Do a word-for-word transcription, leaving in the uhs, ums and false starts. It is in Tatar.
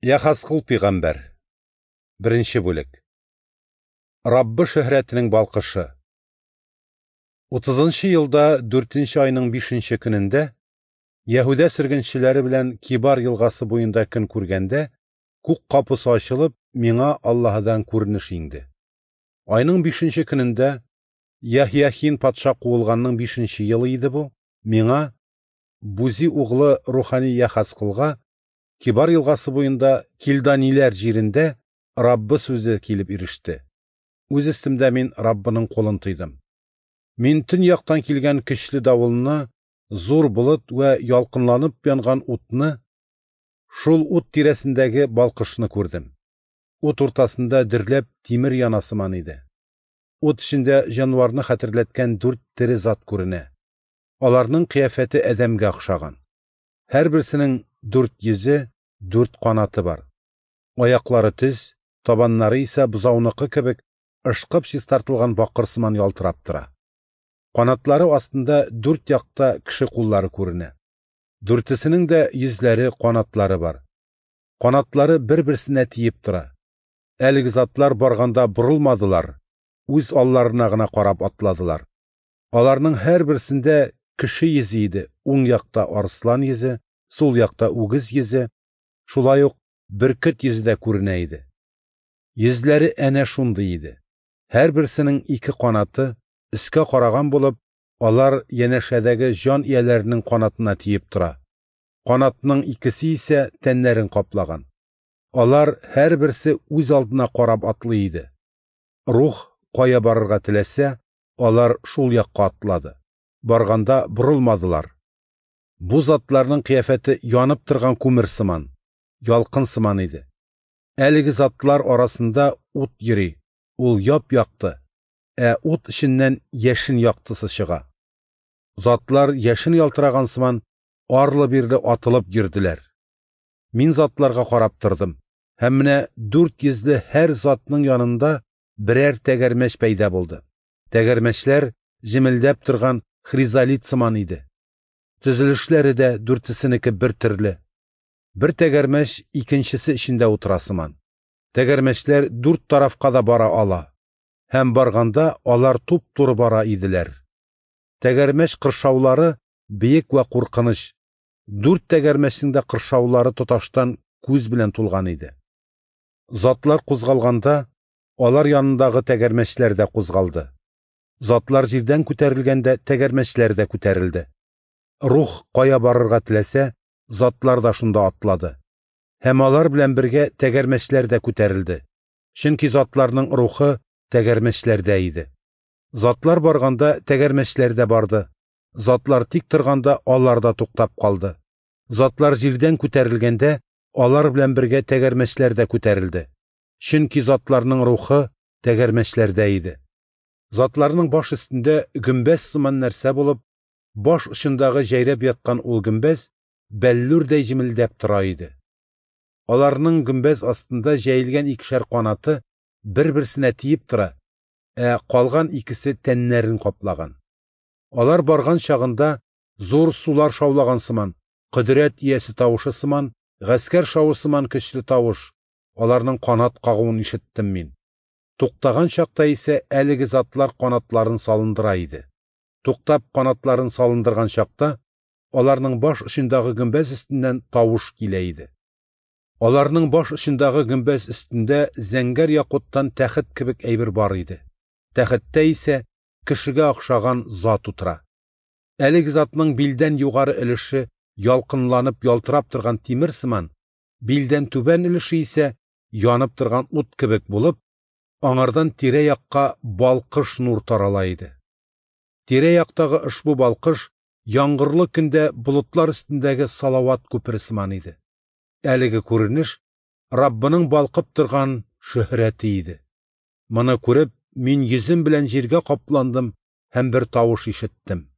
Яхазкыл пигамбәр. Беренче бүлек. Раббы шөһрәтенең балкышы. Утызынчы елда дүртенче айның бишенче көнендә Яһүдә сөргенчеләре белән Кибар елгасы буенда көн күргәндә, күк капысы ачылып, миңа Аллаһыдан күренеш иңде. Айның бишенче көнендә Яһьяхин патша куылганның бишенче елы иде бу, миңа Бузи углы рухани Яхазкылга Кибар елгасы буенда Килданиләр җирендә Раббы сүзе килеп иреште. Үз өстемдә мин Раббының кулын тойдым. Мин төньяктан килгән көчле давылны, зур болыт вә ялкынланып янган утны, шул ут тирәсендәге балкышны күрдем. Ут уртасында дөрләп тимер яна сыман иде. Ут эчендә җанварны хәтерләткән дүрт тере зат күренә. Аларның кыяфәте адәмгә охшаган. Һәрберсенең дүрт йөзе, дүрт канаты бар. Аяклары төз, табаннары исә бозауныкы кебек ышкып чистартылган бакыр сыман ялтырап тора. Канатлары астында дүрт якта кеше куллары күренә. Дүртесенең дә йөзләре, канатлары бар. Канатлары бер-берсенә тиеп тора. Әлеге затлар барганда борылмадылар, үз алларына гына карап атладылар. Аларның һәрберсендә кеше йөзе иде, уң якта арыслан йөзе, сул якта үгез йөзе, шулай ук бөркет йөзе дә күренә иде. Йөзләре әнә шундый иде. Һәрберсенең ике канаты өскә караган булып, алар янәшәдәге җан ияләренең канатына тиеп тора. Канатның икесе исә тәннәрен каплаган. Алар һәрберсе үз алдына карап атлый иде. Рух кая барырга теләсә, алар шул якка атлады. Барганда борылмадылар. Бу затларның кыяфәте янып торган күмер сыман, ялкын сыман иде. Әлеге затлар арасында ут йөри, ул яп-якты, ә ут эченнән яшен яктысы чыга. Затлар яшен ялтыраган сыман арлы-бирле атылып йөрделәр. Мин затларга карап тордым, һәм менә дүрт йөзле һәр затның янында берәр тәгәрмәч пәйда булды. Тәгәрмәчләр җемелдәп торган хризолит сыман иде. Төзелешләре дә дүртесенеке бер төрле. Бер тәгәрмәч икенчесе эчендә утыра сыман. Тәгәрмәчләр дүрт тарафка да бара ала. Һәм барганда алар туп-туры бара иделәр. Тәгәрмәч кыршаулары биек вә куркыныч. Дүрт тәгәрмәчнең дә кыршаулары тоташтан күз белән тулган иде. Затлар кузгалганда, алар янындагы тәгәрмәчләр дә кузгалды. Затлар җирдән күтәрелгәндә тәгәрмәчләр дә күтәрелде. Рух кая барырга теләсә, затлар да шунда атлады. Һәм алар белән бергә тәгәрмәчләр дә күтәрелде. Чөнки затларның рухы тәгәрмәчләрдә иде. Затлар барганда тәгәрмәчләр дә барды. Затлар тик торганда алар да туктап калды. Затлар җирдән күтәрелгәндә, алар белән бергә тәгәрмәчләр дә күтәрелде. Чөнки затларның рухы тәгәрмәчләрдә иде. Затларның баш өстендә гөмбәз сыман нәрсә булып, баш очындагы җәйрәп яткан ул гөмбәз бәллүрдәй җемелдәп тора иде. Аларның гөмбәз астында җәелгән икешәр канаты бер-берсенә тиеп тора, ә калган икесе тәннәрен каплаган. Алар барган чагында зур сулар шаулаган сыман, кодрәт иясе тавышы сыман, гаскәр шавы сыман көчле тавыш, аларның канат кагуын ишеттем мин. Туктаган чакта исә әлеге затлар канатларын салындыра иде. Туктап канатларын салындырган чакта, аларның баш очындагы гөмбәз өстеннән тавыш килә иде. Аларның баш очындагы гөмбәз өстендә зәңгәр якуттан тәхет кебек әйбер бар иде. Тәхеттә исә кешегә охшаган зат утыра. Әлеге затның билдән югары өлеше ялкынланып ялтырап торган тимер сыман, билдән түбән өлеше исә янып торган ут кебек булып, аңардан тирә-якка балкыш нур тарала иде. Тирә-яктагы ошбу балкыш яңгырлы көндә болытлар өстендәге салават күпере сыман иде. Әлеге күренеш Раббының балкып торган шөһрәте иде. Моны күреп, мин йөзем белән җиргә капландым һәм бер тавыш ишеттем.